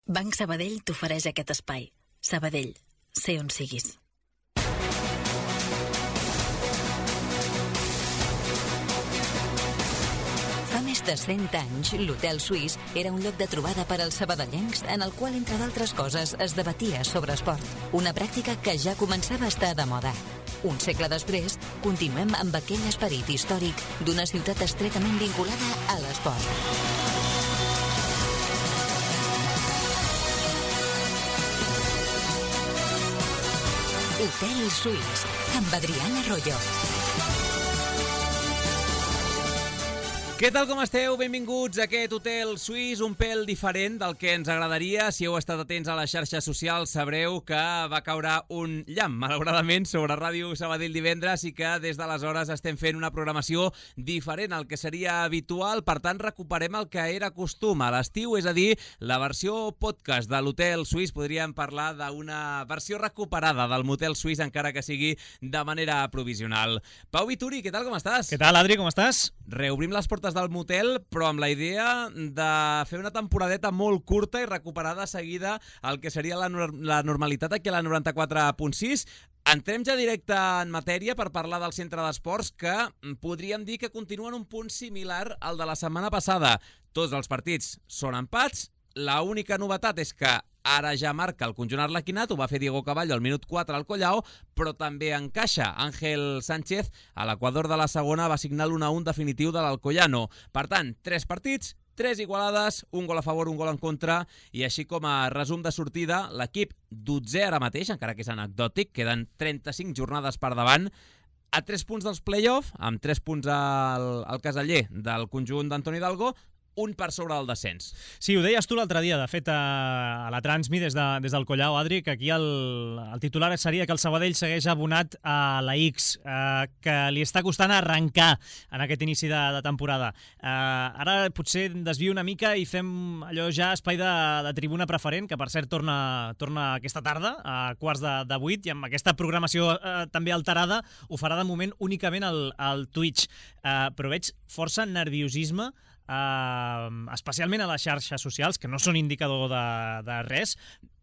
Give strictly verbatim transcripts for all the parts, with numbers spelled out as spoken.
Banc Sabadell t'ofereix aquest espai. Sabadell, sé on siguis. Fa més de cent anys, l'Hotel Suís era un lloc de trobada per als sabadellencs en el qual, entre d'altres coses, es debatia sobre esport. Una pràctica que ja començava a estar de moda. Un segle després, continuem amb aquell esperit històric d'una ciutat estretament vinculada a l'esport. Hotel Suís, amb Adrián Arroyo. Què tal, com esteu? Benvinguts a aquest Hotel Suís, un pèl diferent del que ens agradaria. Si heu estat atents a les xarxes socials, sabreu que va caure un llamp, malauradament, sobre Ràdio Sabadell divendres i que des d'aleshores estem fent una programació diferent al que seria habitual. Per tant, recuperem el que era costum a l'estiu, és a dir, la versió podcast de l'Hotel Suís. Podríem parlar d'una versió recuperada del Motel Suís, encara que sigui de manera provisional. Pau Vituri, què tal, com estàs? Què tal, Adri, com estàs? Reobrim les portes del motel, però amb la idea de fer una temporadeta molt curta i recuperar de seguida el que seria la, la normalitat aquí a la noranta-quatre punt sis. Entrem ja directe en matèria per parlar del centre d'esports, que podríem dir que continua en un punt similar al de la setmana passada. Tots els partits són empats. La única novetat és que ara ja marca el conjunt arlequinat, ho va fer Diego Caballo al minut quatre al Collao, però també encaixa Ángel Sánchez, a l'equador de la segona va signar l'u a un definitiu de l'Alcoyano. Per tant, tres partits, tres igualades, un gol a favor, un gol en contra, i així com a resum de sortida, l'equip dotzè ara mateix, encara que és anecdòtic, queden trenta-cinc jornades per davant, a tres punts dels play-off, amb tres punts al, al caseller del conjunt d'Antoni Hidalgo, un per sobre del descens. Sí, ho deies tu l'altre dia, de fet, a, a la Transmi des, de, des del Collao, Adri, que aquí el, el titular seria que el Sabadell segueix abonat a la X, eh, que li està costant arrencar en aquest inici de, de temporada. Eh, ara potser desvio una mica i fem allò ja espai de, de tribuna preferent, que per cert torna, torna aquesta tarda, a quarts de, de vuit, i amb aquesta programació eh, també alterada, ho farà de moment únicament al, al Twitch. Eh, però veig força nerviosisme, Uh, especialment a les xarxes socials, que no són indicador de, de res.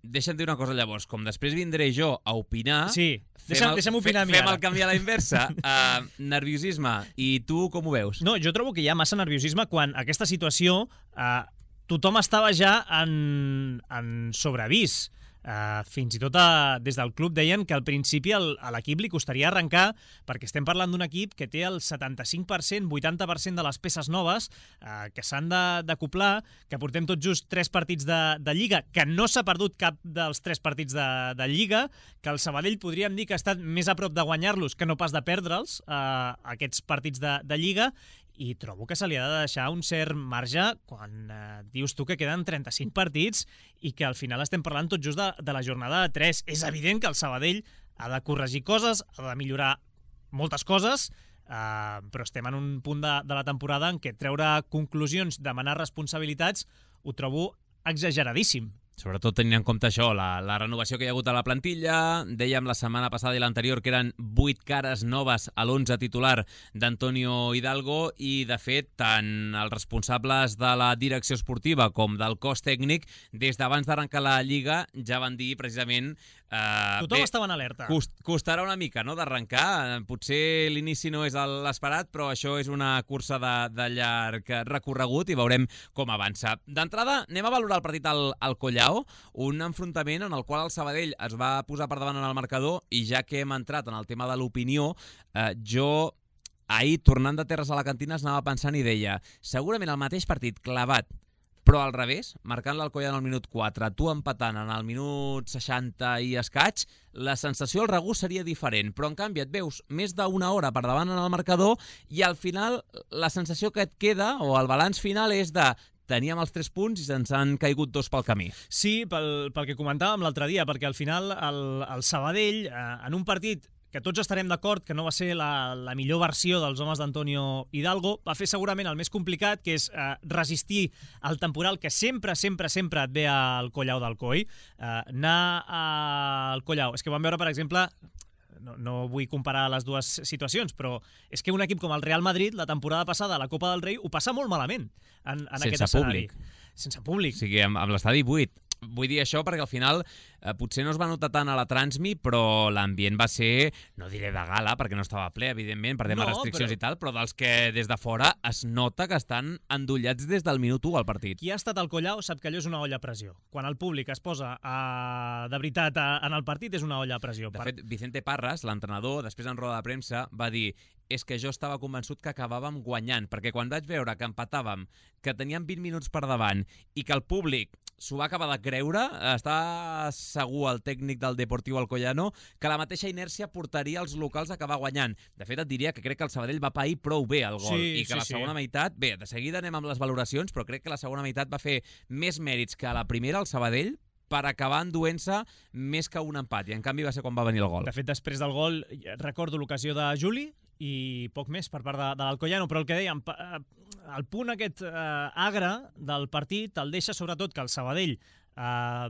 Deixa'm dir una cosa llavors, com després vindré jo a opinar, sí, deixa'm, el, deixa'm opinar fe, fem el canvi a la inversa. uh, nerviosisme, i tu com ho veus? No, jo trobo que hi ha massa nerviosisme quan aquesta situació uh, tothom estava ja en, en sobreavís. Uh, fins i tot uh, des del club deien que al principi el, a l'equip li costaria arrencar, perquè estem parlant d'un equip que té el setanta-cinc per cent, vuitanta per cent de les peces noves uh, que s'han d'acoplar, que portem tot just tres partits de, de Lliga, que no s'ha perdut cap dels tres partits de, de Lliga, que el Sabadell podríem dir que ha estat més a prop de guanyar-los que no pas de perdre'ls, uh, aquests partits de, de Lliga, i trobo que se li ha de deixar un cert marge quan eh, dius tu que queden trenta-cinc partits i que al final estem parlant tot just de, de la jornada tres. És evident que el Sabadell ha de corregir coses, ha de millorar moltes coses, eh, però estem en un punt de, de la temporada en què treure conclusions, demanar responsabilitats, ho trobo exageradíssim. Sobretot tenint en compte això, la, la renovació que hi ha hagut a la plantilla. Dèiem la setmana passada i l'anterior que eren vuit cares noves a l'onze titular d'Antonio Hidalgo, i de fet tant els responsables de la direcció esportiva com del cos tècnic des d'abans d'arrencar la Lliga ja van dir precisament eh, tothom bé, estava en alerta. Cost, costarà una mica, no?, d'arrencar. Potser l'inici no és l'esperat, però això és una cursa de, de llarg recorregut i veurem com avança. D'entrada, anem a valorar el partit al, al Collao, un enfrontament en el qual el Sabadell es va posar per davant en el marcador, i ja que hem entrat en el tema de l'opinió, eh, jo ahir, tornant de Terres a la Cantina, es anava pensant i deia, segurament el mateix partit clavat, però al revés, marcant l'Alcoyano al minut quatre, tu empatant en el minut seixanta i escaig, la sensació, el regust seria diferent, però en canvi et veus més d'una hora per davant en el marcador i al final la sensació que et queda, o el balanç final, és de teníem els tres punts i se'ns han caigut dos pel camí. Sí, pel, pel que comentàvem l'altre dia, perquè al final el, el Sabadell, eh, en un partit que tots estarem d'acord que no va ser la, la millor versió dels homes d'Antonio Hidalgo, va fer segurament el més complicat, que és eh, resistir al temporal que sempre, sempre, sempre et ve al Collao d'Alcoi. Eh, anar al Collao, és que vam veure, per exemple, No, no vull comparar les dues situacions, però és que un equip com el Real Madrid, la temporada passada a la Copa del Rei, ho passa molt malament en, en aquest escenari. Públic. Sense públic. O sigui, amb, amb l'estadi buit. vull dir això perquè al final eh, potser no es va notar tant a la Transmi, però l'ambient va ser, no diré de gala, perquè no estava ple, evidentment, per temes No, restriccions però- i tal, però dels que des de fora es nota que estan endollats des del minut u al partit. Qui ha estat al Collau sap que allò és una olla a pressió. Quan el públic es posa a, de veritat a, en el partit és una olla a pressió. De fet, Vicente Parras, l'entrenador, després en roda de premsa, va dir és que jo estava convençut que acabàvem guanyant, perquè quan vaig veure que empatàvem, que teníem vint minuts per davant i que el públic s'ho va acabar de creure, està segur el tècnic del Deportiu Alcoyano que la mateixa inèrcia portaria els locals a acabar guanyant. De fet, et diria que crec que el Sabadell va pair prou bé el gol Sí, i que sí, la sí. segona meitat, bé, de seguida anem amb les valoracions, però crec que la segona meitat va fer més mèrits que a la primera el Sabadell per acabar enduent-se més que un empat, i en canvi va ser quan va venir el gol. De fet, després del gol, recordo l'ocasió de Juli i poc més per part de, de l'Alcoyano, però el que dèiem, pa- eh, el punt aquest eh, agre del partit el deixa sobretot que el Sabadell eh,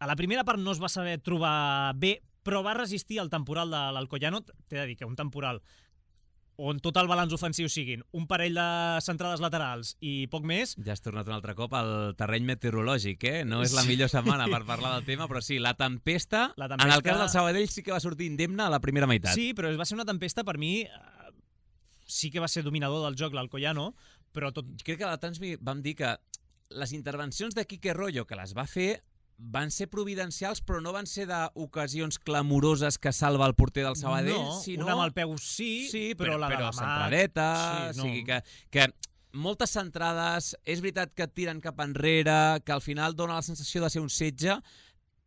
a la primera part no es va saber trobar bé, però va resistir el temporal de l'Alcoyano. T'he de dir que un temporal on tot el balanç ofensiu siguin un parell de centrades laterals i poc més. Ja has tornat un altre cop al terreny meteorològic, eh? No és la Sí. millor setmana per parlar del tema, però sí, la tempesta, La en tempesta- el cas del Sabadell sí que va sortir indemne a la primera meitat. Sí, però va ser una tempesta, per mi, eh, sí que va ser dominador del joc l'Alcoyano, però tot... Crec que a la Transmi vam dir que les intervencions de Quique Rollo, que les va fer, van ser providencials, però no van ser d'ocasions clamoroses que salva el porter del Sabadell, no, sinó... una amb el peu sí, sí, però, la de però la mà... centradeta, Sí, o no. sigui que, que moltes centrades, és veritat que et tiren cap enrere, que al final dona la sensació de ser un setge,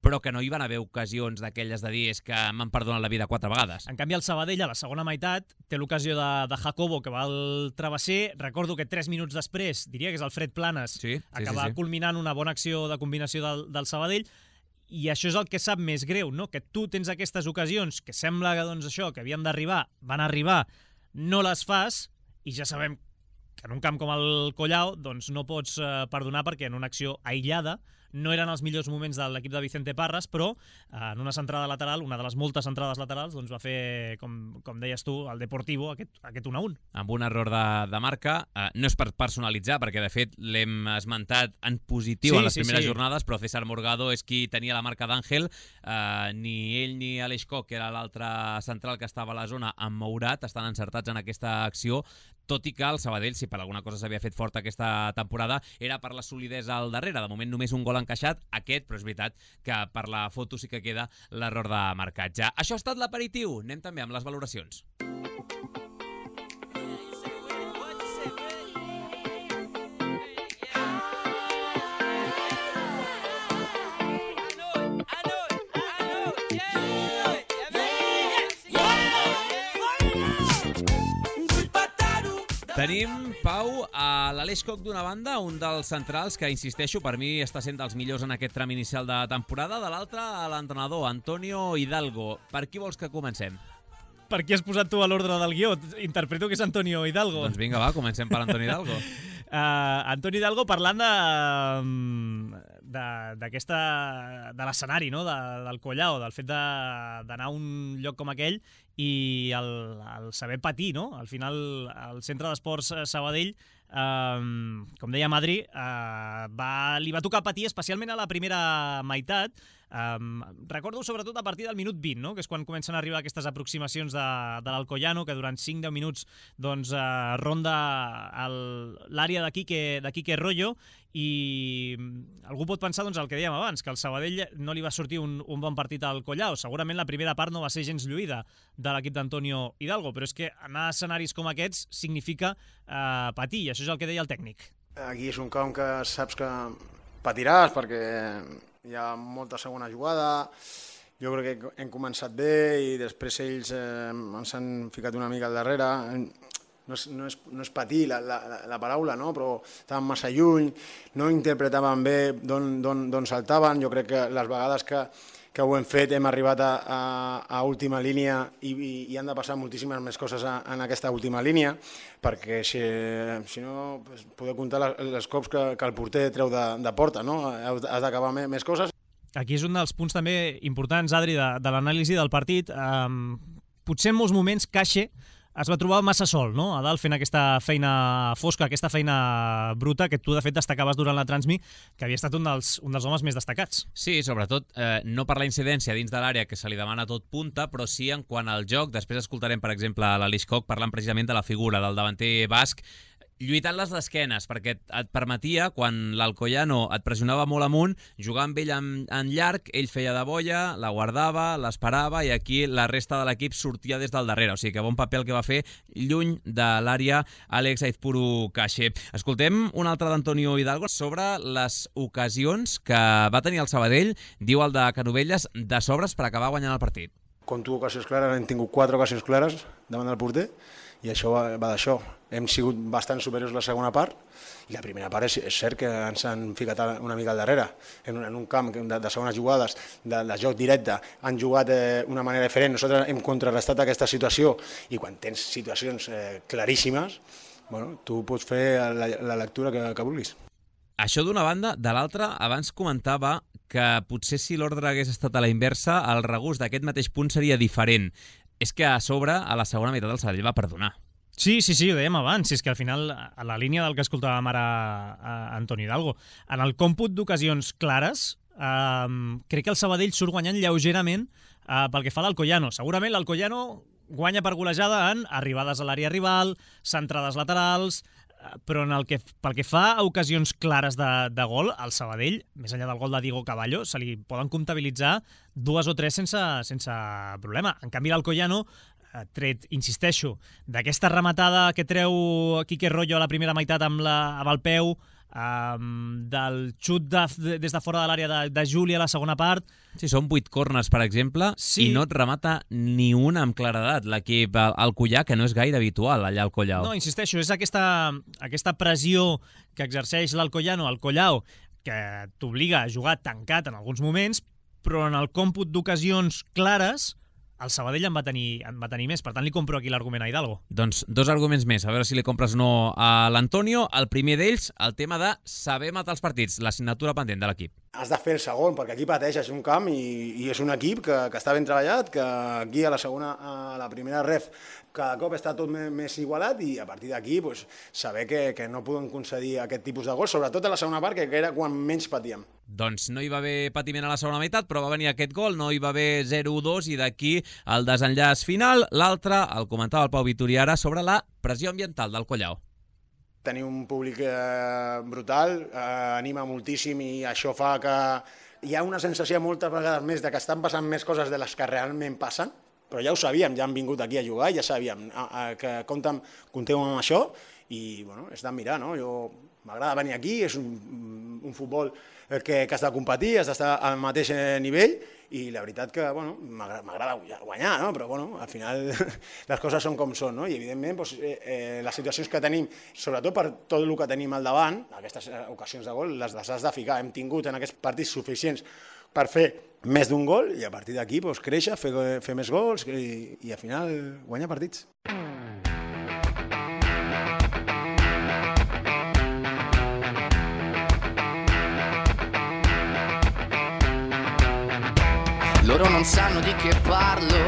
però que no hi van haver ocasions d'aquelles de dir és que m'han perdonat la vida quatre vegades. En canvi, el Sabadell, a la segona meitat, té l'ocasió de, de Jacobo, que va al travesser. Recordo que tres minuts després, diria que és el Fred Planes, Sí, sí, acaba sí, sí. culminant una bona acció de combinació del, del Sabadell, i això és el que sap més greu, no? Que tu tens aquestes ocasions que sembla que, doncs, això, que havien d'arribar, van arribar, no les fas, i ja sabem que en un camp com el Collao doncs no pots eh, perdonar perquè en una acció aïllada no eren els millors moments de l'equip de Vicente Parras, però eh, en una centrada lateral, una de les moltes centrades laterals, doncs va fer, com, com deies tu, el Deportivo, aquest, aquest un a un. Amb un error de, de marca, eh, no és per personalitzar, perquè de fet l'hem esmentat en positiu Sí, en les sí, primeres sí. jornades, però César Morgado és qui tenia la marca d'Àngel, eh, ni ell ni Aleix Koch, que era l'altre central que estava a la zona, amb Mourat, estan encertats en aquesta acció, tot i que el Sabadell, si per alguna cosa s'havia fet fort aquesta temporada, era per la solidesa al darrere. De moment només un gol encaixat, aquest, però és veritat que per la foto sí que queda l'error de marcatge. Això ha estat l'aperitiu. Anem també amb les valoracions. Tenim, Pau, a l'Aleix Koch d'una banda, un dels centrals que, insisteixo, per mi està sent dels millors en aquest tram inicial de temporada, de l'altre, a l'entrenador, Antonio Hidalgo. Per qui vols que comencem? Per qui has posat tu a l'ordre del guió? Interpreto que és Antonio Hidalgo. Doncs vinga, va, comencem per Antonio Hidalgo. Uh, Antoni Hidalgo parlant de de- d'aquesta de l'escenari, no? de, del Collao, del fet de- d'anar a un lloc com aquell i el, el saber patir, no? Al final el centre d'esports Sabadell, um, com deia Madri, uh, va, li va tocar patir especialment a la primera meitat. Um, recordo sobretot a partir del minut vint, no? Que és quan comencen a arribar aquestes aproximacions de, de l'Alcoyano, que durant cinc a deu minuts doncs, uh, ronda el- l'àrea de Quique, de Quique Rollo, i algú pot pensar doncs, el que dèiem abans, que al Sabadell no li va sortir un, un bon partit al Collao. Segurament la primera part no va ser gens lluïda de l'equip d'Antonio Hidalgo, però és que anar a escenaris com aquests significa uh, patir, i això és el que deia el tècnic. Aquí és un camp que saps que patiràs perquè hi ha molta segona jugada. Jo crec que hem començat bé i després ells eh, ens han ficat una mica al darrere. No és, no és, no és patir la, la, la paraula, no? Però estaven massa lluny, no interpretaven bé d'on saltaven. Jo crec que les vegades que, que ho hem fet hem arribat a, a, a última línia i, i, i han de passar moltíssimes més coses a, en aquesta última línia, perquè si, si no pues, podeu comptar les, les cops que, que el porter treu de, de porta, no? Has d'acabar més, més coses. Aquí és un dels punts també importants, Adri, de, de l'anàlisi del partit. Um, potser en molts moments Caixe es va trobar massa sol, no?, a dalt fent aquesta feina fosca, aquesta feina bruta que tu, de fet, destacaves durant la Transmi, que havia estat un dels, un dels homes més destacats. Sí, sobretot eh, no per la incidència dins de l'àrea, que se li demana tot punta, però sí en quant al joc. Després escoltarem, per exemple, l'Aleix Koch parlant precisament de la figura del davanter basc, lluitant les d'esquenes, perquè et permetia, quan l'Alcoyano et pressionava molt amunt, jugar amb ell en, en llarg, ell feia de boia, la guardava, l'esperava, i aquí la resta de l'equip sortia des del darrere. O sigui que bon paper el que va fer lluny de l'àrea Àlex Aizpuru Cache. Escoltem un altre d'Antonio Hidalgo sobre les ocasions que va tenir el Sabadell, diu el de Canovelles, de sobres per acabar guanyant el partit. Compto ocasions clares, hem tingut quatre ocasions clares davant del porter, i això va, va d'això. Hem sigut bastant superiors la segona part, i la primera part és, és cert que ens han ficat una mica al darrere. En un, en un camp de, de segones jugades, de, de joc directe, han jugat d'una eh, manera diferent. Nosaltres hem contrarrestat aquesta situació, i quan tens situacions eh, claríssimes, bueno, tu pots fer la, la lectura que, que vulguis. Això d'una banda. De l'altra, abans comentava que potser si l'ordre hagués estat a la inversa, el regust d'aquest mateix punt seria diferent. És que a sobre, a la segona meitat, el Sabadell va perdonar. Sí, sí, sí, ho dèiem abans. És que al final, a la línia del que escoltàvem ara a Antoni Hidalgo, en el còmput d'ocasions clares, eh, crec que el Sabadell surt guanyant lleugerament eh, pel que fa a l'Alcoyano. Segurament l'Alcoyano guanya per golejada en arribades a l'àrea rival, centrades laterals, però en el que, pel que fa a ocasions clares de, de gol, el Sabadell, més enllà del gol de Diego Caballo, se li poden comptabilitzar dues o tres sense, sense problema. En canvi, l'Alcoyano, tret, insisteixo, d'aquesta rematada que treu Quique Rollo a la primera meitat amb, la, amb el peu, um, del xut de, de, des de fora de l'àrea de, de Juli a la segona part... Sí, són vuit corners, per exemple, sí. I no et remata ni una amb claredat l'equip Alcoyà, que no és gaire habitual allà al Collao. No, insisteixo, és aquesta, aquesta pressió que exerceix l'Alcoyano al Collao, que t'obliga a jugar tancat en alguns moments, però en el còmput d'ocasions clares el Sabadell en va tenir, en va tenir més. Per tant, li compro aquí l'argument a Hidalgo. Doncs dos arguments més, a veure si li compres o no a l'Antonio. El primer d'ells, el tema de saber matar els partits, l'assignatura pendent de l'equip. Has de fer el segon, perquè aquí pateixes un camp i, i és un equip que, que està ben treballat, que aquí a la segona, a la primera ref, cada cop està tot més, més igualat, i a partir d'aquí pues, saber que, que no poden concedir aquest tipus de gols, sobretot a la segona part, que era quan menys patíem. Doncs no hi va haver patiment a la segona meitat, però va venir aquest gol, no hi va haver zero dos, i d'aquí el desenllaç final. L'altre, el comentava el Pau Vitorià ara, sobre la pressió ambiental del Collao. Tenir un públic eh, brutal, eh, anima moltíssim, i això fa que hi ha una sensació moltes vegades més de que estan passant més coses de les que realment passen, però ja ho sabíem, ja han vingut aquí a jugar, ja sabíem eh, eh, que comptem, compteu amb això, i bueno, és d'admirar, no? Jo m'agrada venir aquí, és un, un futbol que, que has de competir, has d'estar al mateix nivell, i la veritat que bueno, m'agrada guanyar, no? Però bueno, al final les coses són com són, no? I evidentment doncs, eh, les situacions que tenim, sobretot per tot el que tenim al davant, aquestes ocasions de gol, les has de ficar. Hem tingut en aquests partits suficients per fer més d'un gol, i a partir d'aquí doncs, créixer, fer, fer més gols i, i al final guanyar partits. Loro non sanno di che parlo,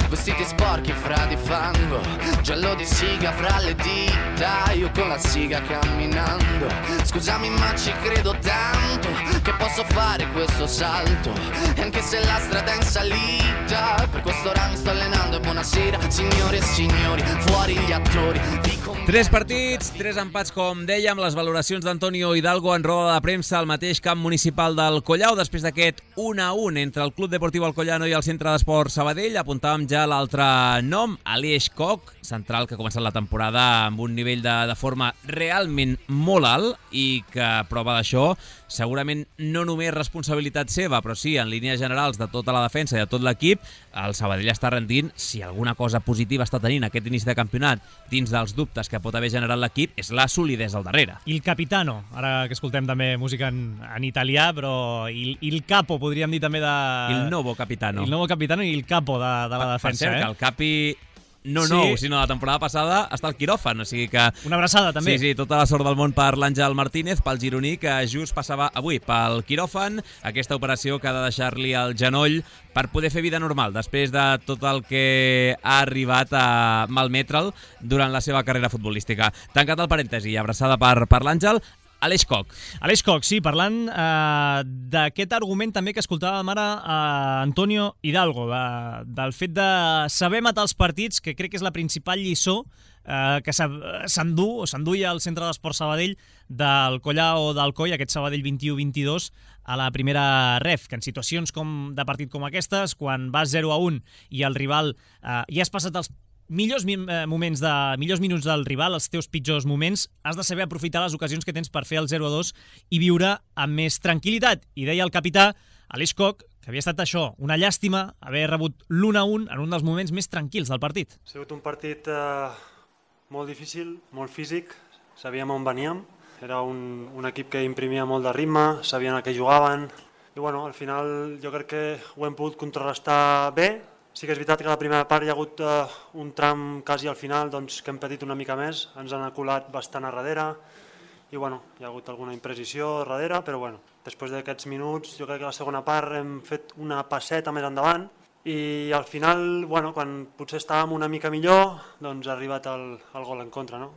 vestiti sporchi fra di fango, giallo di siga fra le dita, io con la siga camminando. Scusami ma ci credo tanto, che posso fare questo salto, e anche se la strada è in salita, per questo ora mi sto allenando. E buonasera signore e signori, fuori gli attori. Tres partits, tres empats, com dèiem, les valoracions d'Antonio Hidalgo en roda de premsa al mateix camp municipal del Collao, després d'aquest un a un entre el Club Deportiu Alcoyano i el Centre d'Esport Sabadell. Apuntàvem ja l'altre nom, Aleix Koch, central que ha començat la temporada amb un nivell de, de forma realment molt alt, i que prova d'això segurament no només responsabilitat seva, però sí, en línies generals de tota la defensa i de tot l'equip, el Sabadell està rendint. Si alguna cosa positiva està tenint aquest inici de campionat, dins dels dubtes que pot haver generat l'equip, és la solidesa al darrere. Il capitano, ara que escoltem també música en, en italià, però il, il capo, podríem dir també de... Il nuovo capitano. Il nuovo capitano i il capo de, de la defensa. Per cert, eh? que el Capi no Sí. nou, sinó la temporada passada està al quiròfan, o sigui que... Una abraçada, també. Sí, sí, tota la sort del món per l'Àngel Martínez, pel gironí, que just passava avui pel quiròfan, aquesta operació que ha de deixar-li el genoll per poder fer vida normal, després de tot el que ha arribat a malmetre'l durant la seva carrera futbolística. Tancat el parèntesi, abraçada per, per l'Àngel. Aleix Koch. Aleix Koch, sí, parlant eh, d'aquest argument també que escoltàvem ara a Antonio Hidalgo, de, del fet de saber matar els partits, que crec que és la principal lliçó eh, que s'endú o s'enduia al Centre d'Esport Sabadell del Collao d'Alcoi, aquest Sabadell vint-i-u vint-i-dos, a la primera ref, que en situacions com de partit com aquestes, quan vas zero a un i el rival eh, ja has passat els millors moments de millors minuts del rival, els teus pitjors moments, has de saber aprofitar les ocasions que tens per fer el zero a dos i viure amb més tranquil·litat. I deia el capità Aleix Koch que havia estat això, una llàstima haver rebut l'un a un en un dels moments més tranquils del partit. Ha sigut un partit eh, molt difícil, molt físic, sabíem on veníem, era un, un equip que imprimia molt de ritme, sabien a què jugaven, i bueno, al final jo crec que ho hem pogut contrarrestar bé. Sí que és veritat que a la primera part hi ha hagut uh, un tram quasi al final doncs, que hem patit una mica més, ens han aculat bastant a darrere i bueno, hi ha hagut alguna imprecisió a darrere, però bueno, després d'aquests minuts jo crec que a la segona part hem fet una passeta més endavant i al final, bueno, quan potser estàvem una mica millor, doncs ha arribat el, el gol en contra, no?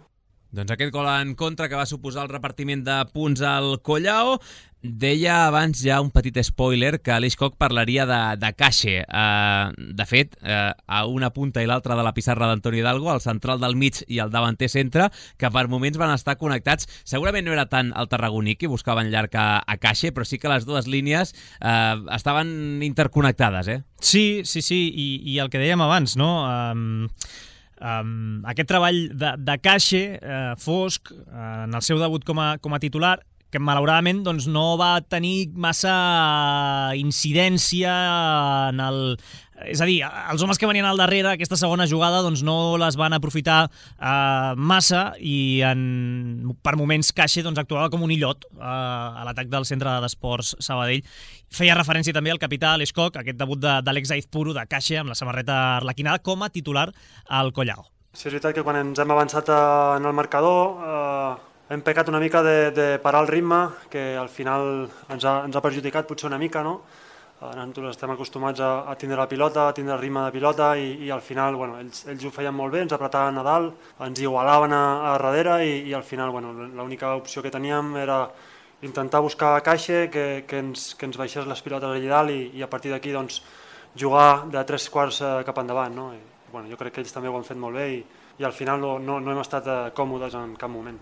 Doncs aquest gol en contra que va suposar el repartiment de punts al Collao. Deia abans ja un petit spoiler que Aleix Koch parlaria de, de Cache. Uh, de fet, uh, a una punta i l'altra de la pissarra d'Antoni Hidalgo, el central del mig i el davanter centre, que per moments van estar connectats. Segurament no era tant el tarragoní que buscaven llarg a, a Cache, però sí que les dues línies uh, estaven interconnectades, eh? Sí, sí, sí, i, i el que dèiem abans, no? Um... Um, aquest treball de, de Cache, eh, fosc, eh, en el seu debut com a, com a titular, que malauradament doncs, no va tenir massa incidència en el... És a dir, els homes que venien al darrere, aquesta segona jugada, doncs no les van aprofitar eh, massa i en, per moments Cache doncs, actuava com un illot eh, a l'atac del Centre d'Esports Sabadell. Feia referència també al capità Aleix Koch, aquest debut d'Àlex Aizpuru de Cache amb la samarreta arlequinada com a titular al Collao. Sí, és veritat que quan ens hem avançat en el marcador eh, hem pecat una mica de, de parar el ritme, que al final ens ha, ens ha perjudicat potser una mica, no? Nosaltres estem acostumats a, a tindre la pilota, a tindre el ritme de pilota i, i al final bueno, ells, ells ho feien molt bé, ens apretaven a dalt, ens igualaven a, a darrere i, i al final bueno, l'única opció que teníem era intentar buscar Cache que, que, ens, que ens baixés les pilotes allà dalt i, i a partir d'aquí doncs, jugar de tres quarts cap endavant. No? I, bueno, jo crec que ells també ho han fet molt bé i, i al final no, no, no hem estat còmodes en cap moment.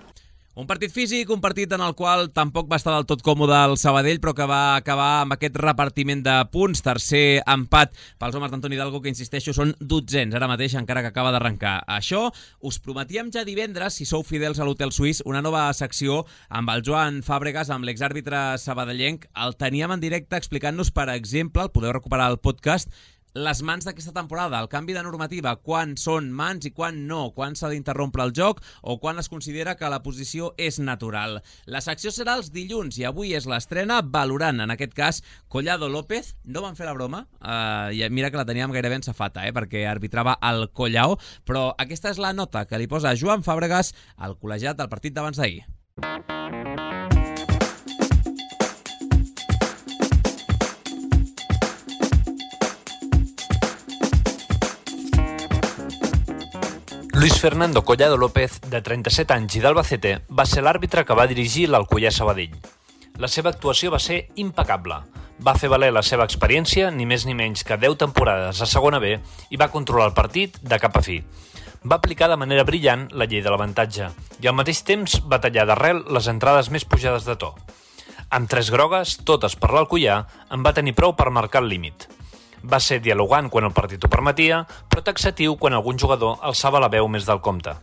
Un partit físic, un partit en el qual tampoc va estar del tot còmode el Sabadell, però que va acabar amb aquest repartiment de punts. Tercer empat pels homes d'Antoni Hidalgo, que insisteixo, són dotzens ara mateix, encara que acaba d'arrencar. Això us prometíem ja divendres, si sou fidels a l'Hotel Suís, una nova secció amb el Joan Fàbregas, amb l'exàrbitre sabadellenc. El teníem en directe explicant-nos, per exemple, el podeu recuperar al podcast, les mans d'aquesta temporada, el canvi de normativa, quan són mans i quan no, quan s'ha d'interrompre el joc o quan es considera que la posició és natural. La secció serà els dilluns i avui és l'estrena valorant, en aquest cas, Collado López. No van fer la broma, uh, i mira que la teníem gairebé ensafata, eh, perquè arbitrava el Collao, però aquesta és la nota que li posa Joan Fàbregas al col·legiat del partit d'abans d'ahir. Luis Fernando Collado López, de trenta-set anys i d'Albacete, va ser l'àrbitre que va dirigir l'Alcoià Sabadell. La seva actuació va ser impecable. Va fer valer la seva experiència, ni més ni menys que deu temporades a segona B, i va controlar el partit de cap a fi. Va aplicar de manera brillant la llei de l'avantatge i al mateix temps va tallar d'arrel les entrades més pujades de to. Amb tres grogues, totes per l'Alcoià, en va tenir prou per marcar el límit. Va ser dialogant quan el partit ho permetia, però taxatiu quan algun jugador alçava la veu més del compte.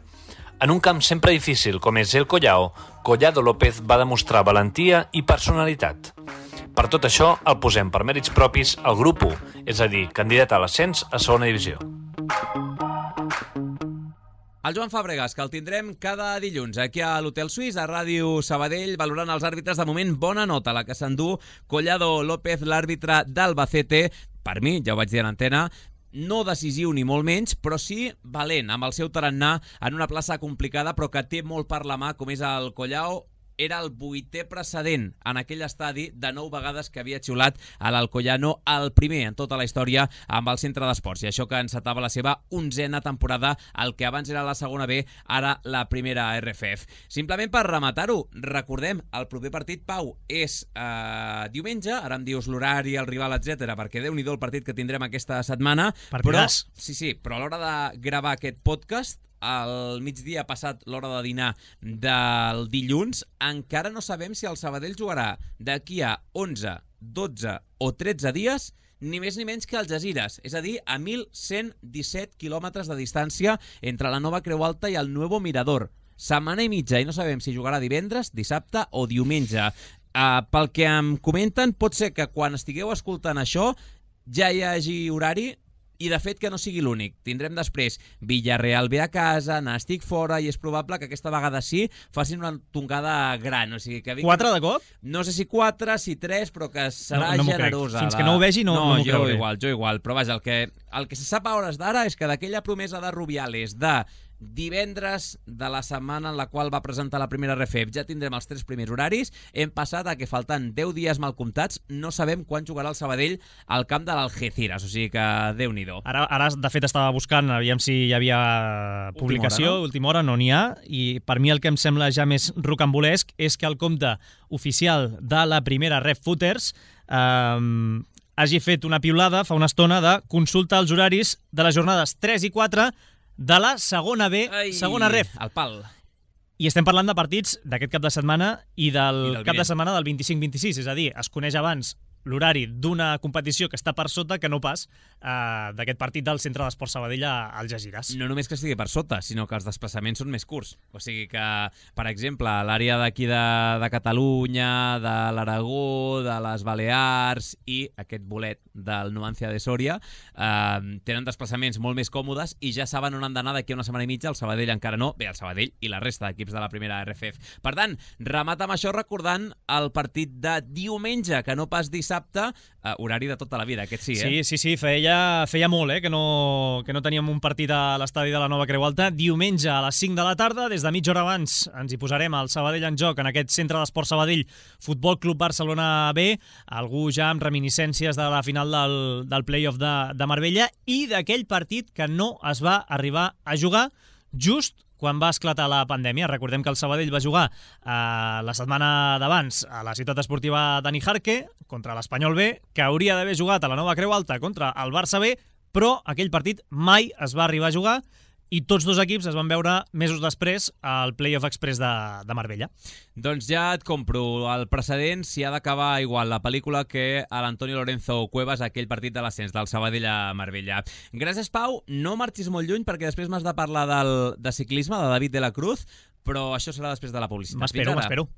En un camp sempre difícil com és el Collao, Collado López va demostrar valentia i personalitat. Per tot això, el posem per mèrits propis al grup u, és a dir, candidat a l'ascens a segona divisió. El Joan Fàbregas, que el tindrem cada dilluns aquí a l'Hotel Suís, a Ràdio Sabadell, valorant els àrbitres. De moment, bona nota la que s'endú Collado López, l'àrbitre d'Albacete. Per mi, ja ho vaig dir a l'antena, no decisiu ni molt menys, però sí valent, amb el seu tarannà en una plaça complicada, però que té molt per la mà, com és el Collao. Era el vuitè precedent en aquell estadi de nou vegades que havia xiulat a l'Alcoyano, el primer en tota la història amb el centre d'esports, i això que encetava la seva onzena temporada, el que abans era la segona B, ara la primera R F F. Simplement per rematar-ho, recordem, el proper partit, Pau, és eh, diumenge, ara em dius l'horari, el rival, etcètera, perquè déu-n'hi-do el partit que tindrem aquesta setmana, Partidàs. però, sí, sí, però a l'hora de gravar aquest podcast, al migdia passat l'hora de dinar del dilluns, encara no sabem si el Sabadell jugarà d'aquí a onze, dotze o tretze dies, ni més ni menys que el Algesires, és a dir, a mil cent disset quilòmetres de distància entre la Nova Creu Alta i el Nuevo Mirador. Setmana i mitja, i no sabem si jugarà divendres, dissabte o diumenge. Uh, pel que em comenten, pot ser que quan estigueu escoltant això ja hi hagi horari, i de fet que no sigui l'únic. Tindrem després Villarreal ve a casa, Nàstic fora, i és probable que aquesta vegada sí facin una tongada gran. O sigui, que vinc... Quatre de cop? No sé si quatre, si tres, però que serà no, no generosa. Fins que no ho vegi no, no, no m'ho jo creuré. igual, jo igual. Però vaja, el que, el que se sap a hores d'ara és que d'aquella promesa de Rubiales de divendres de la setmana en la qual va presentar la primera R F F ja tindrem els tres primers horaris, hem passat a que faltant deu dies mal comptats no sabem quan jugarà el Sabadell al camp de l'Algeciras, o sigui que Déu-n'hi-do. Ara, ara de fet estava buscant, aviam si hi havia publicació, última hora, no n'hi ha, i per mi el que em sembla ja més rocambolesc és que el compte oficial de la primera R F Footers eh, hagi fet una piulada fa una estona de consulta als horaris de les jornades tres i quatre de la segona B, Ai, segona R F. El pal. I estem parlant de partits d'aquest cap de setmana i del, I del cap de vinent. setmana del vint-i-cinc vint-i-sis, és a dir, es coneix abans l'horari d'una competició que està per sota que no pas eh, d'aquest partit del Centre d'Esport Sabadell a Algesires. No només que estigui per sota, sinó que els desplaçaments són més curts. O sigui que, per exemple, l'àrea d'aquí de, de Catalunya, de l'Aragó, de les Balears i aquest bolet del Numancia de Sòria eh, tenen desplaçaments molt més còmodes i ja saben on han d'anar d'aquí a una setmana i mitja. El Sabadell encara no. Bé, el Sabadell i la resta d'equips de la primera R F F. Per tant, remata amb això recordant el partit de diumenge, que no pas dissabte, Uh, horari de tota la vida, aquest sí, eh? Sí, sí, sí, feia, feia molt, eh, que no, que no teníem un partit a l'estadi de la Nova Creu Alta. Diumenge a les cinc de la tarda, des de mitja hora abans, ens hi posarem al Sabadell en joc, en aquest Centre d'Esport Sabadell, Futbol Club Barcelona B, algú ja amb reminiscències de la final del, del play-off de, de Marbella i d'aquell partit que no es va arribar a jugar just quan va esclatar la pandèmia. Recordem que el Sabadell va jugar eh, la setmana d'abans a la ciutat esportiva Dani Jarque contra l'Espanyol B, que hauria d'haver jugat a la Nova Creu Alta contra el Barça B, però aquell partit mai es va arribar a jugar i tots dos equips es van veure mesos després al Playoff Express de, de Marbella. Doncs ja et compro el precedent si ha d'acabar igual la pel·lícula que a l'Antonio Lorenzo Cuevas, aquell partit de l'ascens del Sabadell a Marbella. Gràcies, Pau. No marxis molt lluny perquè després m'has de parlar del, de ciclisme, de David de la Cruz, però això serà després de la publicitat. M'espero, m'espero.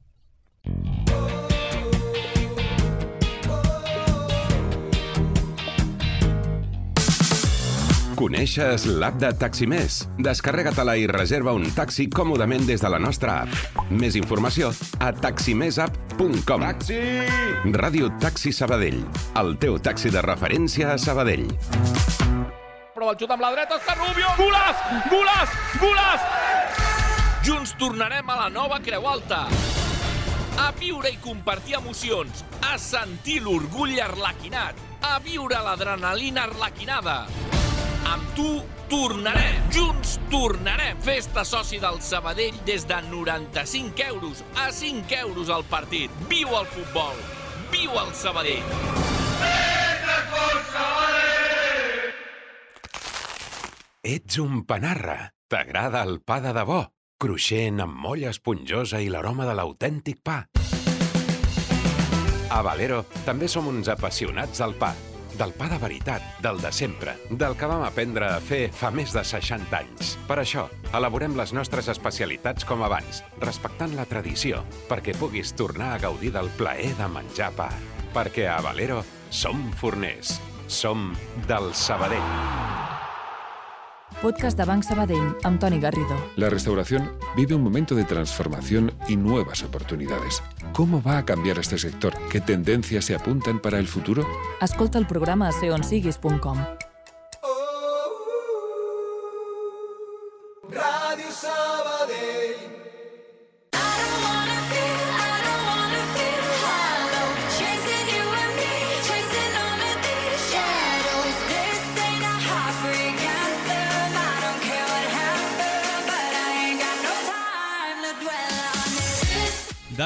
Coneixes l'app de Taximés? Descarrega-te-la i reserva un taxi còmodament des de la nostra app. Més informació a taximessapp punt com. Taxi! Ràdio Taxi Sabadell, el teu taxi de referència a Sabadell. Prova el xut amb la dreta, Òscar Rubio! Golaç! Golaç! Golaç! Junts tornarem a la Nova Creu Alta. A viure i compartir emocions, a sentir l'orgull arlequinat, a viure l'adrenalina arlequinada. Amb tu tornarem, junts tornarem. Festa soci del Sabadell des de noranta-cinc euros a cinc euros al partit. Viu el futbol, viu el Sabadell. Ets un panarra. T'agrada el pa de debò? Cruixent, amb molla esponjosa i l'aroma de l'autèntic pa. A Valero també som uns apassionats del pa. Del pa de veritat, del de sempre, del que vam aprendre a fer fa més de seixanta anys. Per això, elaborem les nostres especialitats com abans, respectant la tradició, perquè puguis tornar a gaudir del plaer de menjar pa. Perquè a Valero som forners, som del Sabadell. Podcast de Banc Sabadell, amb Toni Garrido. La restauración vive un momento de transformación y nuevas oportunidades. ¿Cómo va a cambiar este sector? ¿Qué tendencias se apuntan para el futuro? Escolta el programa a ser on siguis punt com.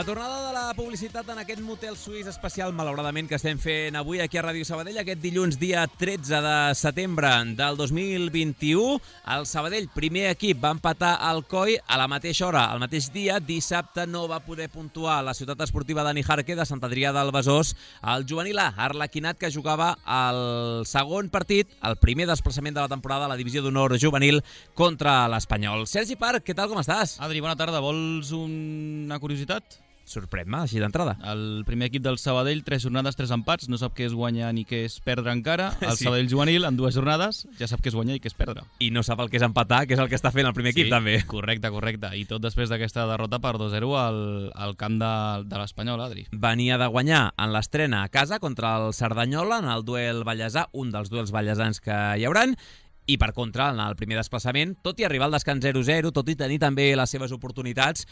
La tornada de la publicitat en aquest motel suís especial, malauradament, que estem fent avui aquí a Ràdio Sabadell, aquest dilluns, dia tretze de setembre del dos mil vint-i-u. El Sabadell, primer equip, va empatar al Coi a la mateixa hora, al mateix dia. Dissabte no va poder puntuar la ciutat esportiva de Nijarque de Sant Adrià del Besòs. El juvenil A, Arlequinat, que jugava el segon partit, el primer desplaçament de la temporada a la divisió d'honor juvenil contra l'Espanyol. Sergi Parc, què tal, com estàs? Adri, bona tarda. Vols una curiositat? Sorprèn-me, així d'entrada. El primer equip del Sabadell, tres jornades, tres empats, no sap què és guanyar ni què és perdre encara. El sí. Sabadell juvenil, en dues jornades, ja sap què és guanyar i què és perdre. I no sap el que és empatar, que és el que està fent el primer sí, equip, també. Correcte, correcte. I tot després d'aquesta derrota per dos a zero al, al camp de, de l'Espanyol, Adri. Venia de guanyar en l'estrena a casa contra el Cerdanyola, en el duel ballesà, un dels duels ballesans que hi hauran, i per contra, en el primer desplaçament, tot i arribar al descans zero a zero, tot i tenir també les seves oportunitats,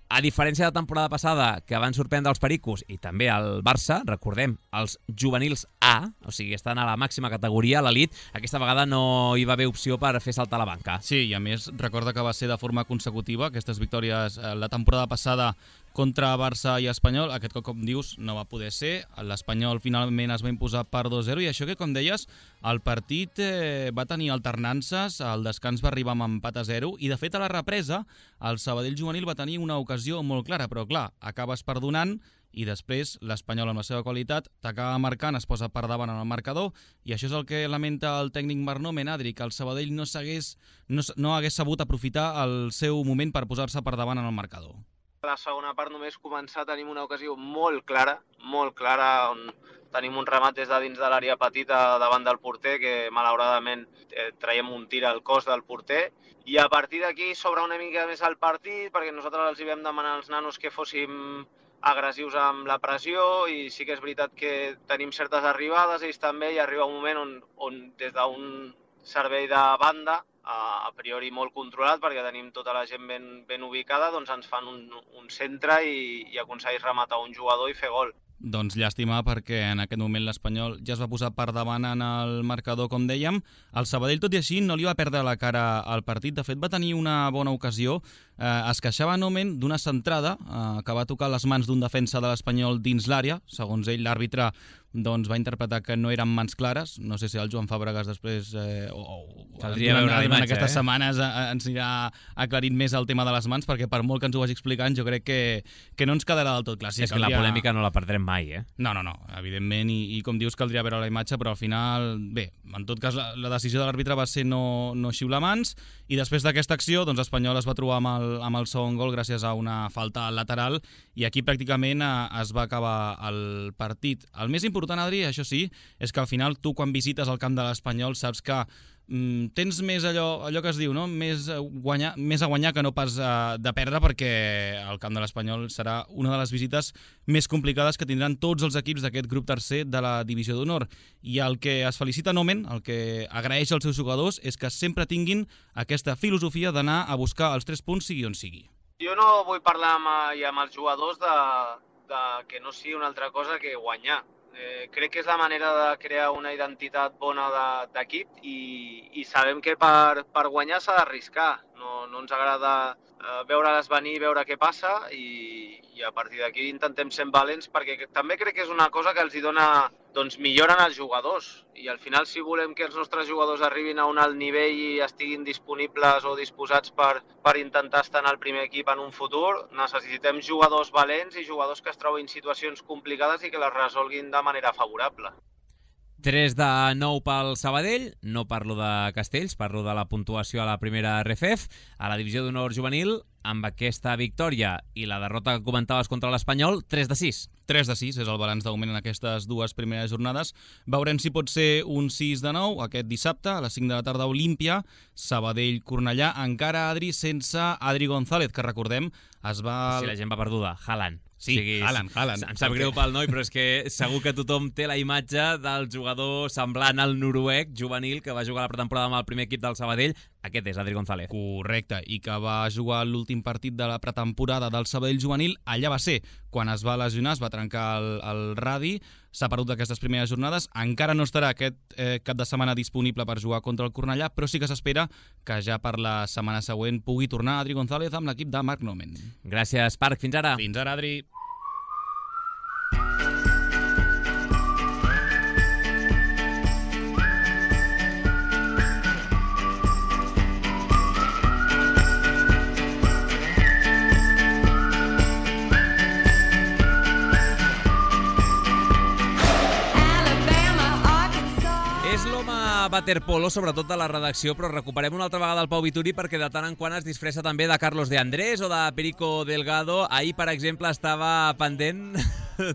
a diferència de la temporada passada, que van sorprendre els Pericos i també el Barça, recordem, els juvenils A, o sigui, estan a la màxima categoria, a l'elit, aquesta vegada no hi va haver opció per fer saltar la banca. Sí, i a més, recorda que va ser de forma consecutiva, aquestes victòries la temporada passada contra Barça i Espanyol, aquest cop, com dius, no va poder ser. L'Espanyol finalment es va imposar per dos a zero i això que, com deies, el partit eh, va tenir alternances, el descans va arribar amb empat a zero i, de fet, a la represa, el Sabadell juvenil va tenir una ocasió molt clara, però, clar, acabes perdonant i després l'Espanyol, amb la seva qualitat, t'acaba marcant, es posa per davant en el marcador i això és el que lamenta el tècnic Marnomen, Adri, que el Sabadell no, no, no hagués sabut aprofitar el seu moment per posar-se per davant en el marcador. A la segona part només començar tenim una ocasió molt clara, molt clara, on tenim un remat des de dins de l'àrea petita davant del porter, que malauradament eh, traiem un tir al cos del porter, i a partir d'aquí s'obre una mica més el partit, perquè nosaltres els hi vam demanar als nanos que fóssim agressius amb la pressió, i sí que és veritat que tenim certes arribades, ells també, i arriba un moment on, on des d'un servei de banda, a priori molt controlat, perquè tenim tota la gent ben, ben ubicada, doncs ens fan un, un centre i, i aconsegueix rematar un jugador i fer gol. Doncs llàstima, perquè en aquest moment l'Espanyol ja es va posar per davant en el marcador, com dèiem. El Sabadell, tot i així, no li va perdre la cara al partit. De fet, va tenir una bona ocasió. Eh, es queixava Nomen d'una centrada eh, que va tocar les mans d'un defensa de l'Espanyol dins l'àrea. Segons ell, l'àrbitre doncs, va interpretar que no eren mans clares. No sé si el Joan Fàbregas després, eh, o, o Caldria veure la imatge, aquestes eh? setmanes, eh, ens anirà aclarint més el tema de les mans, perquè per molt que ens ho vagi explicant, jo crec que, que no ens quedarà del tot clar. Sí, és que caldria... la polèmica no la perdrem mai, eh? No, no, no, evidentment, i, i com dius, caldria veure la imatge, però al final, bé, en tot cas, la, la decisió de l'àrbitre va ser no, no xiular mans, i després d'aquesta acció, doncs l'Espanyol es va trobar amb el, amb el segon gol gràcies a una falta lateral, i aquí pràcticament eh, es va acabar el partit. El més important, Adri, això sí, és que al final tu, quan visites el camp de l'Espanyol, saps que mm, tens més allò, allò que es diu, no? més, guanyar, més a guanyar que no pas uh, de perdre, perquè el camp de l'Espanyol serà una de les visites més complicades que tindran tots els equips d'aquest grup tercer de la divisió d'honor. I el que es felicita Nomen, el que agraeix als seus jugadors, és que sempre tinguin aquesta filosofia d'anar a buscar els tres punts sigui on sigui. Jo no vull parlar amb, amb els jugadors de, de que no sigui una altra cosa que guanyar. Eh, crec que és la manera de crear una identitat bona d'equip de, i, i sabem que per, per guanyar s'ha d'arriscar. No, no ens agrada eh, veure-les venir, veure què passa i, i a partir d'aquí intentem ser valents, perquè també crec que és una cosa que els hi dona, doncs milloren els jugadors i al final, si volem que els nostres jugadors arribin a un alt nivell i estiguin disponibles o disposats per, per intentar estar en el primer equip en un futur, necessitem jugadors valents i jugadors que es trobin situacions complicades i que les resolguin de manera favorable. tres de nou pel Sabadell, no parlo de Castells, parlo de la puntuació a la primera R F F, a la divisió d'honor juvenil, amb aquesta victòria i la derrota que comentaves contra l'Espanyol, tres de sis. tres de sis és el balanç d'augment en aquestes dues primeres jornades. Veurem si pot ser un sis de nou aquest dissabte, a les cinc de la tarda, Olímpia, Sabadell-Cornellà, encara, Adri, sense Adri González, que recordem, es va... Si la gent va perduda, Haaland. Sí, o sigui, Haaland, Haaland. Em sap greu pel noi, però és que segur que tothom té la imatge del jugador semblant al noruec juvenil que va jugar la pretemporada amb el primer equip del Sabadell, Aquest és Adri González. Correcte, i que va jugar l'últim partit de la pretemporada del Sabadell juvenil. Allà va ser quan es va lesionar, es va trencar el, el radi, s'ha perdut d'aquestes primeres jornades. Encara no estarà aquest eh, cap de setmana disponible per jugar contra el Cornellà, però sí que s'espera que ja per la setmana següent pugui tornar Adri González amb l'equip de Marc Nomen. Gràcies, Parc. Fins ara. Fins ara, Adri. Waterpolo, sobretot de la redacció, però recuperem una altra vegada el Pau Vituri perquè de tant en quant es disfressa també de Carlos de Andrés o de Perico Delgado. Ahir, per exemple, estava pendent,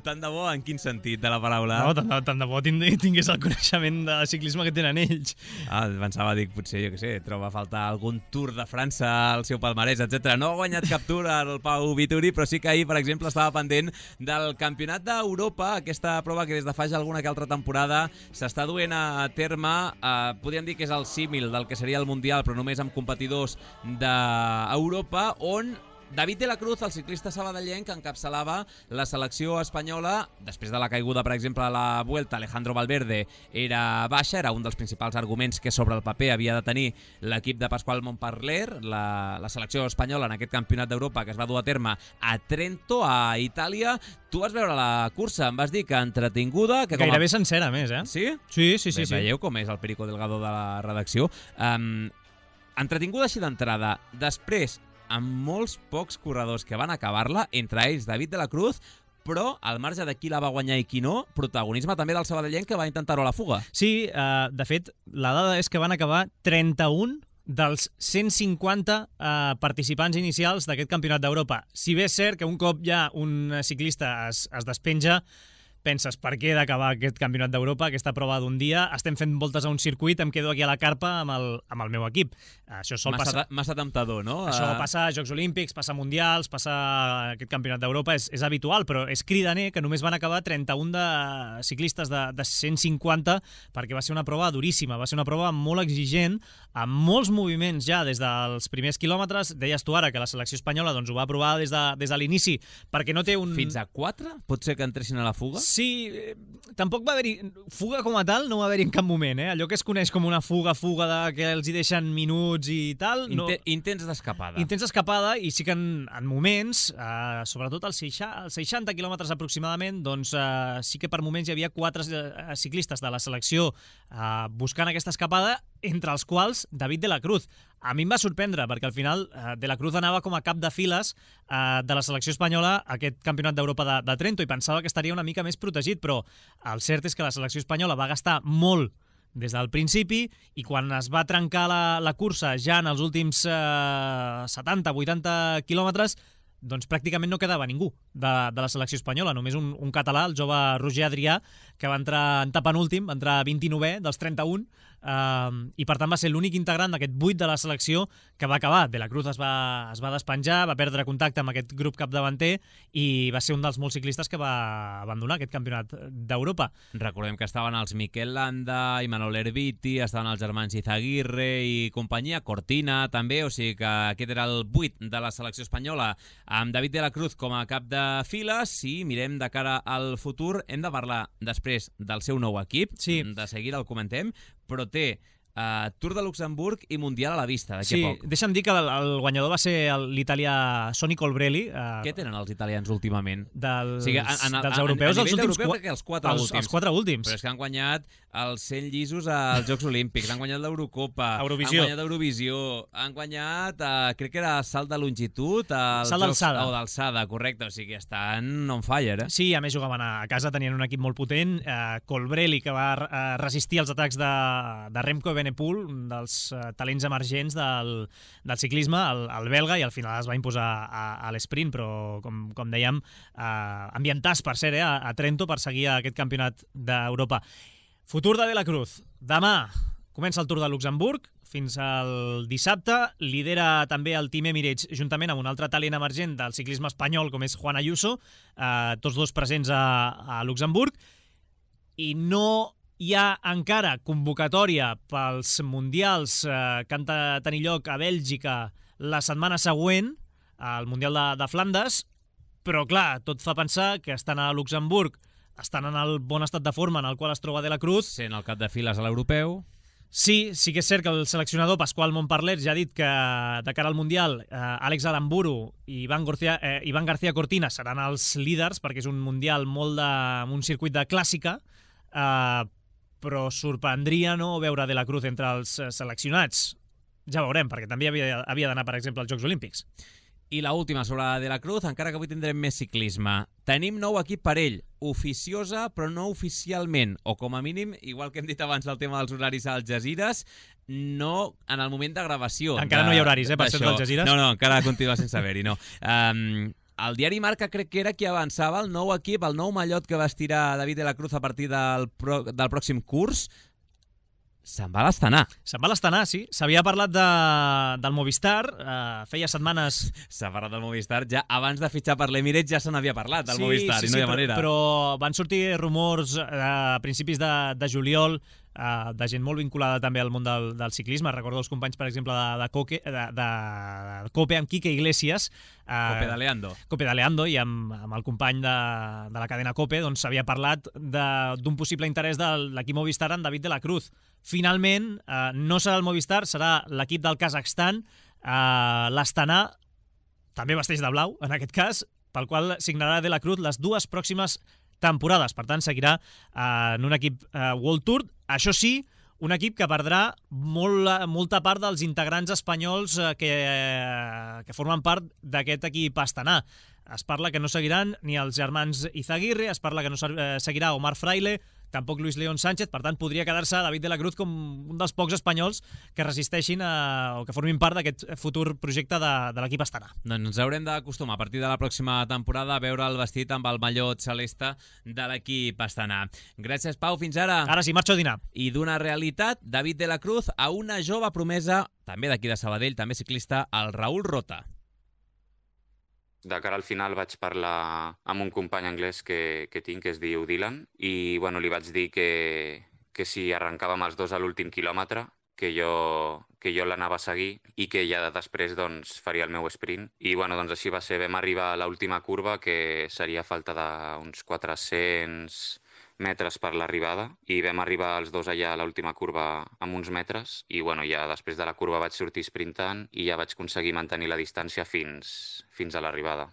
tant de bo, en quin sentit de la paraula? No, tant de, tant de bo tingués el coneixement de ciclisme que tenen ells. Ah, pensava, dic, potser, jo què sé, troba a faltar algun Tour de França al seu palmarès, etcètera. No ha guanyat cap Tour el Pau Vituri, però sí que ahir, per exemple, estava pendent del Campionat d'Europa, aquesta prova que des de fa ja alguna que altra temporada s'està duent a terme. Uh, podríem dir que és el símil del que seria el Mundial, però només amb competidors d'Europa, on David de la Cruz, el ciclista sabadellenc, encapçalava la selecció espanyola. Després de la caiguda, per exemple, a la Vuelta, Alejandro Valverde era baixa, era un dels principals arguments que sobre el paper havia de tenir l'equip de Pasqual Montparler, la, la selecció espanyola en aquest campionat d'Europa que es va dur a terme a Trento, a Itàlia. Tu vas veure la cursa, em vas dir que entretinguda... Que Gairebé a... sencera, més, eh? Sí? Sí, sí, sí. Bé, sí. Veieu com és el Perico Delgado de la redacció. Um, entretinguda així d'entrada. Després, amb molts pocs corredors que van acabar-la, entre ells David de la Cruz, però al marge de qui la va guanyar i qui no, protagonisme també del sabadellenc que va intentar-ho a la fuga. Sí, uh, de fet, la dada és que van acabar trenta-un dels cent cinquanta uh, participants inicials d'aquest campionat d'Europa. Si bé és cert que un cop ja un ciclista es, es despenja, penses, per què he d'acabar aquest campionat d'Europa, aquesta prova d'un dia? Estem fent voltes a un circuit, em quedo aquí a la carpa amb el, amb el meu equip. Això sol massa, passar... Massa temptador, no? Això passa a Jocs Olímpics, passa a Mundials, passa a aquest campionat d'Europa, és, és habitual, però és cridaner que només van acabar trenta-un de ciclistes de, de cent cinquanta, perquè va ser una prova duríssima, va ser una prova molt exigent, amb molts moviments ja des dels primers quilòmetres. Deies tu ara que la selecció espanyola doncs, ho va provar des de, des de l'inici, perquè no té un... Fins a quatre? Pot ser que entressin a la fuga? Sí, eh, tampoc va haver-hi... Fuga com a tal no va haver-hi en cap moment, eh? Allò que es coneix com una fuga, fuga de que els hi deixen minuts i tal... No... Inten intents d'escapada. Intents d'escapada, i sí que en, en moments, eh, sobretot als seixanta quilòmetres aproximadament, doncs eh, sí que per moments hi havia quatre eh, ciclistes de la selecció eh, buscant aquesta escapada, entre els quals David de la Cruz. A mi em va sorprendre, perquè al final eh, de la Cruz anava com a cap de files eh, de la selecció espanyola a aquest campionat d'Europa de, de Trento, i pensava que estaria una mica més protegit, però el cert és que la selecció espanyola va gastar molt des del principi, i quan es va trencar la, la cursa ja en els últims eh, setanta vuitanta quilòmetres, doncs pràcticament no quedava ningú de, de la selecció espanyola, només un, un català, el jove Roger Adrià, que va entrar en penúltim, va entrar vint-i-novè dels trenta-un, eh, i per tant va ser l'únic integrant d'aquest vuit de la selecció que va acabar. De la Cruz es va, es va despenjar, va perdre contacte amb aquest grup capdavanter i va ser un dels molts ciclistes que va abandonar aquest campionat d'Europa. Recordem que estaven els Miquel Landa, Imanol Erviti, estaven els germans Izaguirre i companyia, Cortina també, o sigui que aquest era el vuit de la selecció espanyola, amb David de la Cruz com a cap de files. Si mirem de cara al futur, hem de parlar després del seu nou equip, sí. De seguida el comentem, però té uh, Tour de Luxemburg i Mundial a la vista d'aquí sí, a poc. Deixa'm dir que el, el guanyador va ser l'italià Sonny Colbrelli. Uh, Què tenen els italians últimament? Dels, o sigui, en, en, dels europeus, a, a els últims europeu, crec que els quatre els, últims. Els quatre últims. Però és que han guanyat els cent llisos als Jocs Olímpics, han guanyat l'Eurocopa, Eurovisió. han guanyat Eurovisió, han guanyat, uh, crec que era salt de longitud, salt d'alçada. O d'alçada, correcte, o sigui, estan on fire, eh? Sí, a més jugaven a casa, tenien un equip molt potent, uh, Colbrelli, que va uh, resistir els atacs de, de Remco Evenepoel, un dels uh, talents emergents del, del ciclisme, el, el belga, i al final es va imposar a, a l'esprint, però com, com dèiem, uh, ambientats, per cert, eh, a, a Trento per seguir aquest campionat d'Europa. Futur de De la Cruz. Demà comença el Tour de Luxemburg, fins al dissabte. Lidera també el Team Emirates juntament amb un altre talent emergent del ciclisme espanyol com és Juan Ayuso, eh, tots dos presents a, a Luxemburg, i no Hi ha encara convocatòria pels mundials eh, que han de tenir lloc a Bèlgica la setmana següent, al Mundial de, de Flandes, però clar, tot fa pensar que estan a Luxemburg, estan en el bon estat de forma en el qual es troba De la Cruz. Sent el cap de files a l'europeu. Sí, sí que és cert que el seleccionador Pasqual Montparler ja ha dit que de cara al Mundial eh, Àlex Aramburu i Ivan García, eh, Ivan García Cortina seran els líders perquè és un Mundial molt de, un circuit de clàssica, eh, però sorprendria no veure De la Cruz entre els seleccionats. Ja veurem, perquè també havia, havia d'anar, per exemple, als Jocs Olímpics. I la última sobre De la Cruz, encara que avui tindrem més ciclisme. Tenim nou equip per ell, oficiosa però no oficialment, o com a mínim, igual que hem dit abans del tema dels horaris a Algesires, no en el moment de gravació. Encara de, no hi ha horaris, eh, per ser d'Algesires? No, no, encara continua sense haver-hi, no. Um, el diari Marca crec que era qui avançava el nou equip, el nou mallot que vestirà David De la Cruz a partir del, pro, del pròxim curs. Se'n va a l'Astana. Se'n va a l'Astana, sí. S'havia parlat de, del Movistar, eh, feia setmanes... S'ha parlat del Movistar, ja abans de fitxar per l'Emirates ja se n'havia parlat del sí, Movistar, sí, i no sí, hi ha manera. Però, però van sortir rumors eh, a principis de, de juliol eh, de gent molt vinculada també al món del, del ciclisme. Recordo els companys, per exemple, de, de, Coque, de, de, de Cope amb Quique Iglesias. Eh, Cope d'Aleando. Cope d'Aleando, i amb, amb el company de, de la cadena Cope doncs s'havia parlat d'un possible interès de l'equip Movistar en David De la Cruz. Finalment, eh, no serà el Movistar, serà l'equip del Kazakhstan, eh, l'Astana, també vesteix de blau, en aquest cas, pel qual signarà De la Cruz les dues pròximes temporades. Per tant, seguirà eh, en un equip eh, World Tour. Això sí, un equip que perdrà molt, molta part dels integrants espanyols eh, que, eh, que formen part d'aquest equip Astana. Es parla que no seguiran ni els germans Izaguirre, es parla que no seguirà Omar Fraile, tampoc Luis León Sánchez, per tant podria quedar-se David De la Cruz com un dels pocs espanyols que resisteixin a, o que formin part d'aquest futur projecte de, de l'equip Astana. Doncs ens haurem d'acostumar a partir de la pròxima temporada a veure el vestit amb el mallot celeste de l'equip Astana. Gràcies, Pau, fins ara. Ara sí, marxo a dinar. I d'una realitat, David De la Cruz a una jove promesa, també d'aquí de Sabadell, també ciclista, el Raül Rota. De cara al final vaig parlar amb un company anglès que, que tinc, que es diu Dylan, i bueno, li vaig dir que, que si arrencàvem els dos a l'últim quilòmetre, que jo, que jo l'anava a seguir i que ja després doncs, faria el meu sprint. I bueno, doncs així va ser. Vam arribar a l'última curva, que seria falta d'uns quatre-cents metres per l'arribada, i vam arribar els dos allà a l'última curva amb uns metres, i bueno, ja després de la curva vaig sortir sprintant i ja vaig aconseguir mantenir la distància fins, fins a l'arribada.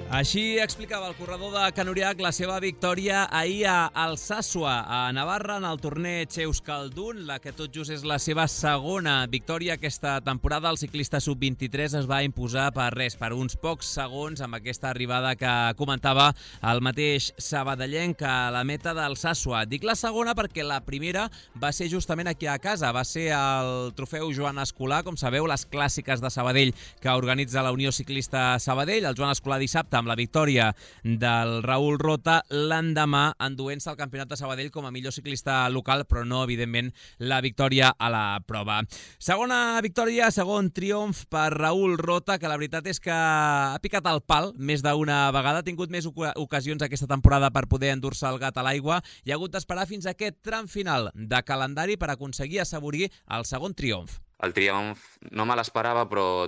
Així explicava el corredor de Can Uriach la seva victòria ahir a Alsasua, a Navarra, en el torneig Euskaldun, la que tot just és la seva segona victòria aquesta temporada. El ciclista sub vint-i-tres es va imposar per res, per uns pocs segons, amb aquesta arribada que comentava el mateix sabadellenc a la meta d'Alsasua. Dic la segona perquè la primera va ser justament aquí a casa, va ser el trofeu Joan Escolà, com sabeu, les clàssiques de Sabadell que organitza la Unió Ciclista Sabadell. El Joan Escolà dissabte amb la victòria del Raül Rota, l'endemà enduent-se el Campionat de Sabadell com a millor ciclista local, però no, evidentment, la victòria a la prova. Segona victòria, segon triomf per Raül Rota, que la veritat és que ha picat el pal més d'una vegada, ha tingut més ocasions aquesta temporada per poder endur-se el gat a l'aigua i ha hagut d'esperar fins a aquest tram final de calendari per aconseguir assaborir el segon triomf. El triomf no me l'esperava, però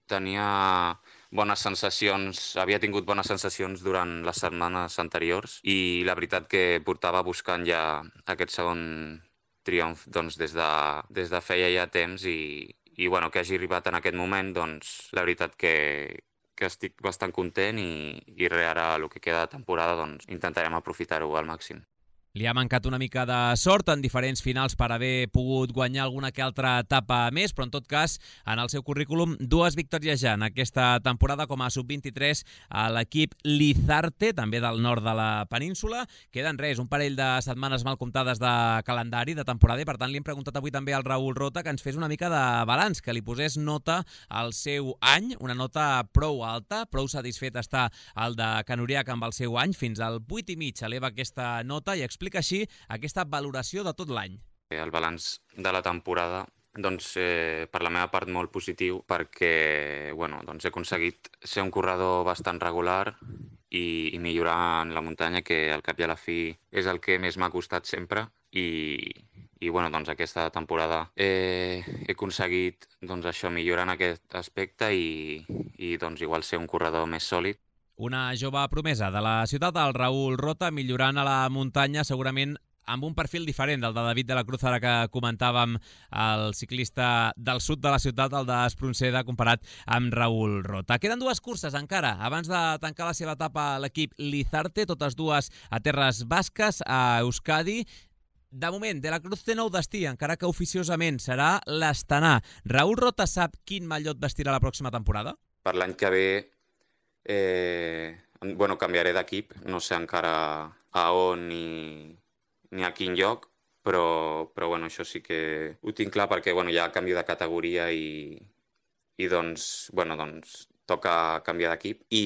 tenia bones sensacions, havia tingut bones sensacions durant les setmanes anteriors, i la veritat que portava buscant ja aquest segon triomf doncs, des, de, des de feia ja temps, i, i bueno, que hagi arribat en aquest moment, doncs la veritat que, que estic bastant content, i, i ara el que queda de temporada doncs, intentarem aprofitar-ho al màxim. Li ha mancat una mica de sort en diferents finals per haver pogut guanyar alguna que altra etapa més, però en tot cas, en el seu currículum, dues victòries ja en aquesta temporada com a sub vint-i-tres a l'equip Lizarte, també del nord de la península. Queden res, un parell de setmanes mal comptades de calendari, de temporada, i per tant li hem preguntat avui també al Raül Rota que ens fes una mica de balanç, que li posés nota al seu any, una nota prou alta, prou satisfet està el de Can Uriach amb el seu any, fins al vuit i mig eleva aquesta nota i explica explica així aquesta valoració de tot l'any. El balanç de la temporada doncs, eh, per la meva part molt positiu perquè bueno, doncs he aconseguit ser un corredor bastant regular i, i millorar en la muntanya, que al cap i a la fi és el que més m'ha costat sempre. I, i bueno, doncs aquesta temporada eh, he aconseguit doncs, això, millorar en aquest aspecte i, i doncs, igual ser un corredor més sòlid. Una jove promesa de la ciutat, el Raül Rota, millorant a la muntanya, segurament amb un perfil diferent del de David de la Cruz, ara que comentàvem el ciclista del sud de la ciutat, el d'Espronceda, comparat amb Raül Rota. Queden dues curses encara, abans de tancar la seva etapa a l'equip Lizarte, totes dues a terres basques, a Euskadi. De moment, de la Cruz té nou destí, encara que oficiosament serà l'Astana. Raül Rota sap quin mallot vestirà la pròxima temporada? Per l'any que ve eh, bueno, canviaré d'equip, no sé encara a on ni, ni a quin lloc, però, però bueno, això sí que ho tinc clar perquè bueno, hi ha canvi de categoria i, i doncs, bueno, doncs toca canviar d'equip. I,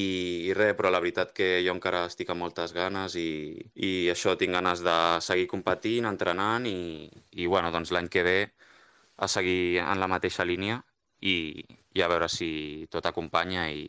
I res, però la veritat que jo encara estic amb moltes ganes i, i això, tinc ganes de seguir competint, entrenant i, i bueno, doncs l'any que ve a seguir en la mateixa línia i, i a veure si tot acompanya i,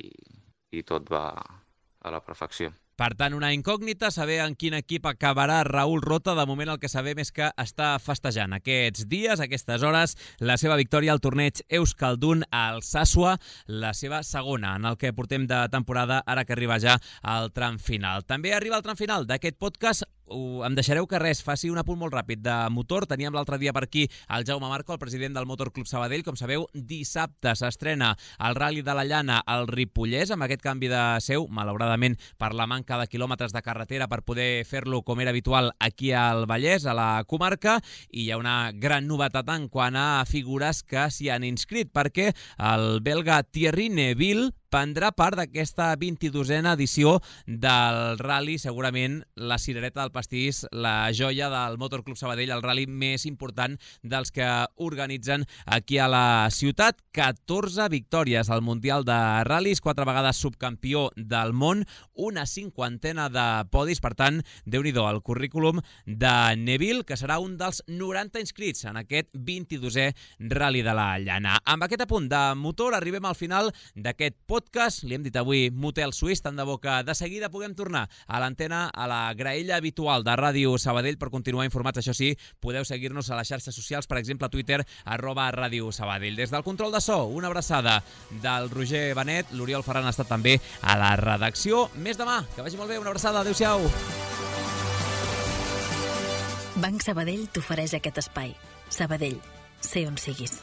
i tot va a la perfecció. Per tant, una incògnita, saber en quin equip acabarà Raül Rota. De moment el que sabem és que està festejant aquests dies, aquestes hores, la seva victòria al torneig Euskaldun al Sasua, la seva segona en el que portem de temporada, ara que arriba ja al tram final. També arriba al tram final d'aquest podcast. Uh, em deixareu que res, faci un apunt molt ràpid de motor. Teníem l'altre dia per aquí el Jaume Marco, el president del Motor Club Sabadell. Com sabeu, dissabte s'estrena el Rally de la Llana al Ripollès, amb aquest canvi de seu, malauradament per la manca de quilòmetres de carretera per poder fer-lo com era habitual aquí al Vallès, a la comarca, i hi ha una gran novetat en quant a figures que s'hi han inscrit, perquè el belga Thierry Neuville prendrà part d'aquesta vint-i-dosena edició del rally, segurament la cirereta del pastís, la joia del Motor Club Sabadell, el rally més important dels que organitzen aquí a la ciutat. catorze victòries al Mundial de Ral·lis, quatre vegades subcampió del món, una cinquantena de podis, per tant, déu-n'hi-do el currículum de Neuville, que serà un dels noranta inscrits en aquest vint-i-dosè rally de la Llana. Amb aquest apunt de motor arribem al final d'aquest podcast. Li hem dit avui Motel Suís, tant de bo que de seguida puguem tornar a l'antena, a la graella habitual de Ràdio Sabadell per continuar informats. Això sí, podeu seguir-nos a les xarxes socials, per exemple a Twitter, arroba Ràdio Sabadell. Des del control de so, una abraçada del Roger Benet, l'Oriol Ferran ha estat també a la redacció. Més demà, que vagi molt bé, una abraçada, adéu-siau. Banc Sabadell t'ofereix aquest espai. Sabadell, sé on siguis.